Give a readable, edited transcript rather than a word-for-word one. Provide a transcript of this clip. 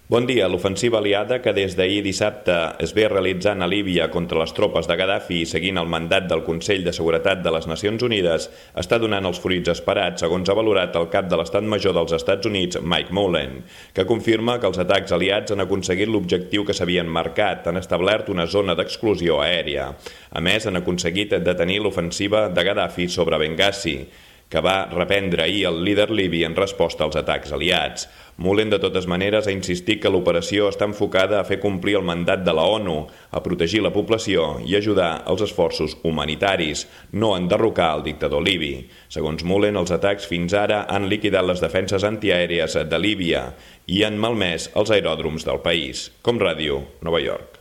Bon dia. L'ofensiva aliada que des d'ahir dissabte es ve realitzant a Líbia contra les tropes de Gaddafi i seguint el mandat del Consell de Seguretat de les Nacions Unides està donant els fruits esperats, segons ha valorat el cap de l'Estat Major dels Estats Units, Mike Mullen, que confirma que els atacs aliats han aconseguit l'objectiu que s'havien marcat, han establert una zona d'exclusió aèria. A més, han aconseguit detenir l'ofensiva de Gaddafi sobre Benghazi, que va reprendre ahir el líder libi en resposta als atacs aliats. Mullen, de totes maneres, ha insistit que l'operació està enfocada a fer complir el mandat de la ONU, a protegir la població i ajudar als esforços humanitaris, no a enderrocar el dictador libi. Segons Mullen, els atacs fins ara han liquidat les defenses antiaèries de Líbia i han malmès els aeròdroms del país. Com Ràdio, Nova York.